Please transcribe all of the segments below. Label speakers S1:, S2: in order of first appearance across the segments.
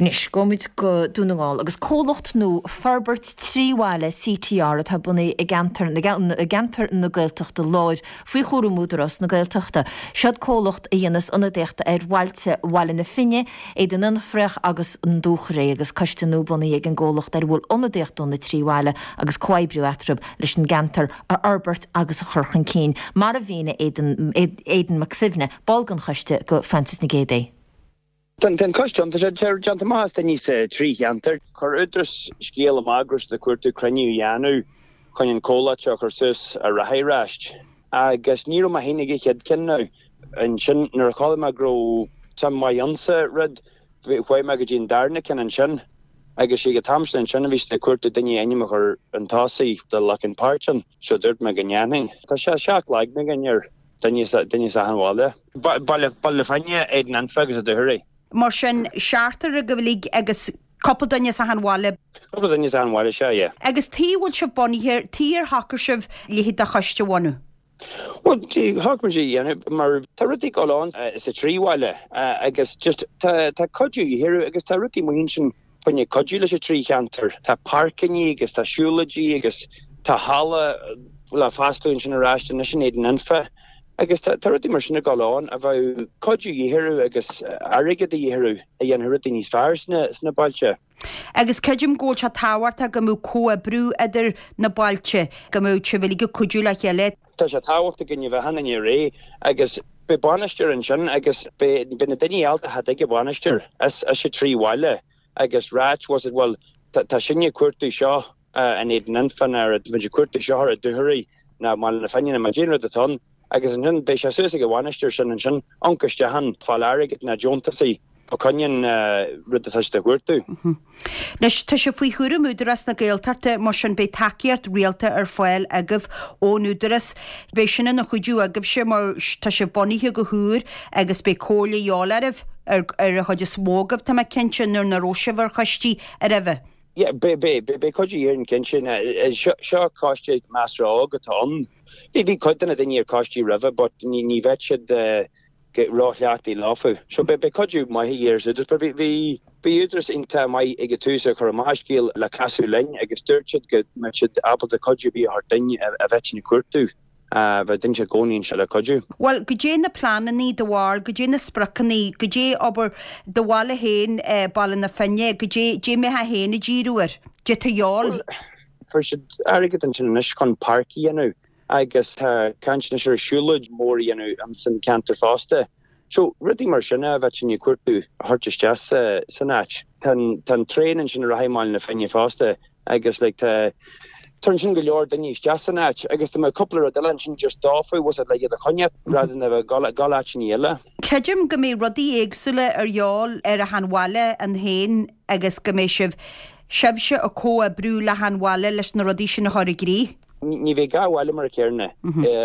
S1: Anois, gabhfaimid go Dún na nGall agus comhlacht nó Forbairt 3 Bhaile, CTR, atá bunaithe i gceantar i gceantar na Gaeltachta Láir faoi chúram Údarás na Gaeltachta. Seod comhlacht a dhéanas ionadaíocht ar bhailte Bhaile na Finne, Éadan Fhionnfhraoch agus an Dúchoraidh agus coiste nua bunaithe ag an gcomhlacht ar a bhfuil ionadaíocht ó na trí bhaile agus comhoibriú eatarthu leis an gceantar a fhorbairt agus a chur chun cinn, mar a mhínigh Aidan Aidan Mac Suibhne, ball den choiste, go Frances Nic Géadaigh.
S2: Tá an coiste ann, tá sé déanta amach as daoine sa trí cheantar. Chuir Údarás scéal amach go raibh siad ag cuartú cruinniú a dhéanamh chun an comhlacht seo a chur suas ar aghaidh aráist. Agus ní raibh mé féin ag an chéad ceann now. Ansin nuair a chuala mé go raibh suim mhaith ann sa rud, chuaigh mé go dtí an darna ceann ansin. Agus ag an t-am sin ansin a bhí siad ag cuartú duine a ainm a chur chun tosaigh do ghlacadh páirt ann. So dúirt mé go ndéanfainn. Tá sé 7 leagna againn ar. Duine as achan bhaile. Baile na Finne, Éadan Anfa agus An Dúchoraidh.
S3: Mar sin, seachtar agaibh uilig agus cúpla duine as achan bhaile.
S2: Cúpla duine as achan bhaile, sea, yeah.
S3: Agus tuige a bhfuil sibh bunaithe, tuige ar shocair sibh leithéid de choiste a bhunú?
S2: Bhuel, shocair muid é a dhéanamh mar tá rudaí ag dul on sa trí bhaile agus just tá cuidiú de dhíth orthu agus tá rudaí amuigh ansin fá choinne cuidiú leis an trí cheantar. Tá páirceanna agus tá siúlóidí agus tá halla le foscladh ansin aráist anois in Éadan Anfa agus tá rudaí mar sin ag dul ann a bheadh cuidiú de dhíth orthu agus airgead de dhíth orthu a dhéanfadh rudaí níos fearr sna bailte.
S3: Agus creidim go bhfuil sé tábhachtach go mbeadh comhoibriú idir na bailte, go mbeadh sibh uilig ag cuidiú le chéile.
S2: Tá sé tábhachtach go mbeadh achan duine réidh agus beidh bainisteoir ansin agus beidh na daoine ábalta theacht ag an bhainisteoir as sa trí bhaile agus ráit was it bhuel tá sinne ag cuartú seo in Éadan Anfa nó tá muid ag cuartú seo ar an Dúchoraidh nó i mBaile na Finne nó caidé an rud atá ann agus ansin beidh sé suas ag an bhainisteoir sin ansin ionc isteach ann fáil airgead nó deontasaí fá choinne an rud atá siad a chuartú.
S3: Anois, tá sé faoi chúram Údarás na Gaeltachta, mar sin beidh tacaíocht rialta ar fáil agaibh ón Údarás. Beidh sin ina chuidiú agaibhse mar tá sibh bunaithe go húr agus beidh comhairle de dhíobháil oraibh, ar an chuid is mó agaibh, tá mé cinnte, nuair nach raibh sibh ar choistí roimhe.
S2: Yeah, beidh, beidh, beidh cuidiú orainn cinnte. Seo coiste measartha óg atá ann. Bhí cuid de na daoine ar coistí roimhe but ní bheadh siad ró-chleachtaithe leofa. So beidh cuidiú maith ag iarraidh Údarás. But bhí bhí Údarás iontach maith ag an tús ag cur amach an scéal le casadh linn agus dúirt siad go mbeadh siad ábalta cuidiú ar bith a thabhairt duinn a bheadh ag cuartú, bheadh duine i gcónaí anseo le cuidiú.
S3: Bhuel, goidé na pleanannaí do bharúil, goidé na spriocannaí, goidé obair do bhaile féin, Baile na Finne, goidé, goidé mbeifeá féin ag díriú air, goidé tá de dhíobháil.
S2: Bhuel, fuair siad airgead ansin anois chun páirc a dhéanamh agus tá caint anois ar siúlóid mór a dhéanamh san ceantar fosta. So, rudaí mar sin a bheadh sinn ag cuartú a thabhairt isteach san áit. Tá an traein ansin a rachaidh i mBaile na Finne fosta agus like tá tá ansin go leor duine isteach san áit agus tá mé cúpla rud eile ansin just dófa was it le iad a choinneáil rather than a bheith ag dul áiteanna eile.
S3: Creidim go mbeidh rudaí éagsúla ar dhíobháil ar achan bhaile ann féin agus go mbeidh sibh, sibhse ag comhoibriú le hachan bhaile leis na rudaí sin a chur i gcrích.
S2: Ní bheidh gach baile mar a chéile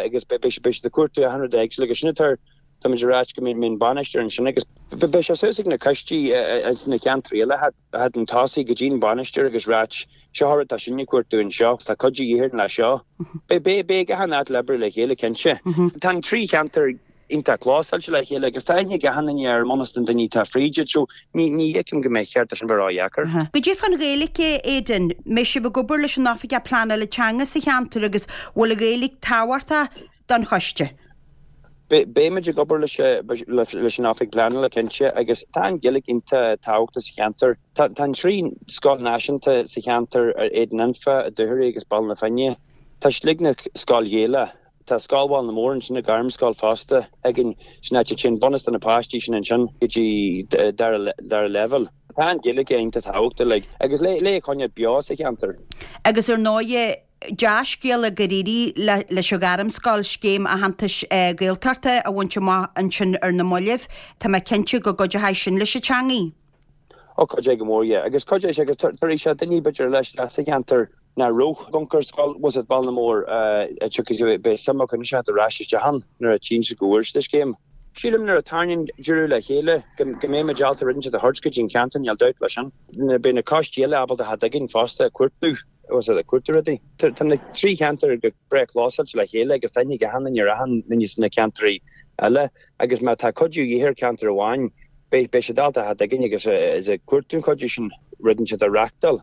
S2: agus beidh siad ag cuartú achan rud éagsúil agus sin atá táimid ag ráit go mbeidh an bainisteoir ansin agus beidh sé suas ag na coistí sna ceantraí eile theacht chun tosaigh go dtí an bainisteoir agus ráit seo an rud atá sinne ag cuartú anseo, tá cuidiú de dhíth orainn le seo. Beidh beidh achan áit le oibriú le chéile cinnte. Tá an trí cheantar iontach clósáilte le chéile agus tá aithne ag achan duine ar mbunús den duine atá fríd iad so ní ní fheicim go mbeidh cheart é sin bheith ródheacair.
S3: Goidé fán Ghaeilge, Aidan? Mbeidh sibh ag obair leis an Oifigeach Pleanála Teanga sa cheantar agus bhfuil an Ghaeilge tábhachtach don choiste?
S2: Beimid ag obair leis leis an Oifig Pleanála cinnte agus tá an Ghaeilge iontach tábhachtach sa cheantar. Tá tá an trí scoil náisiúnta sa cheantar, Éadan Anfa, Dúchoraidh agus Baile na Finne. Tá siad uilig ina scoil Ghaelach. Tá Scoil Bhaile na Mór ansin, an Ghairmscoil fosta againn, sin áit a dtéann bunús de na páistí sin ansin go dtí dara leibhéal. Tá an Ghaeilge iontach tábhachtach like agus le le coinneáil beo sa cheantar.
S3: Agus ar ndóighe, dea-scéala gur éirigh leis an Ghairmscoil scéim aitheantais Gaeltachta a bhaint amach ansin ar na mallaibh. Tá mé cinnte go gcuideoidh sin leis an teangaidh.
S2: Ó cuideoidh go mór, yeah. Agus cuideoidh sé agus tabharfaidh sé daoine b'fhéidir leis sa cheantar nach raibh ag amharc ar scoil, was it Baile na Mór, tiocfaidh, beidh suim acu anois theacht ar ais isteach ann nuair a tchíonn siad go bhfuair siad an scéim. Sílim nuair a tarraingíonn deireadh le chéile go mbeidh muid ábalta rud inteacht a thabhairt go dtí an ceantar, níl dabht leis sin. Beidh na coistí eile ábalta theacht chugainn fosta ag cuartú, was it, ag cuartú rudaí. Tá na trí cheantar go breá clósáilte le chéile agus tá aithne ag achan duine ar achan duine sna ceantraí eile agus má tá cuidiú de dhíth ar cheantar amháin. Beidh, beidh siad ábalta a theacht chugainn agus is ag cuartú an chuidiú sin rud inteacht a reachtáil.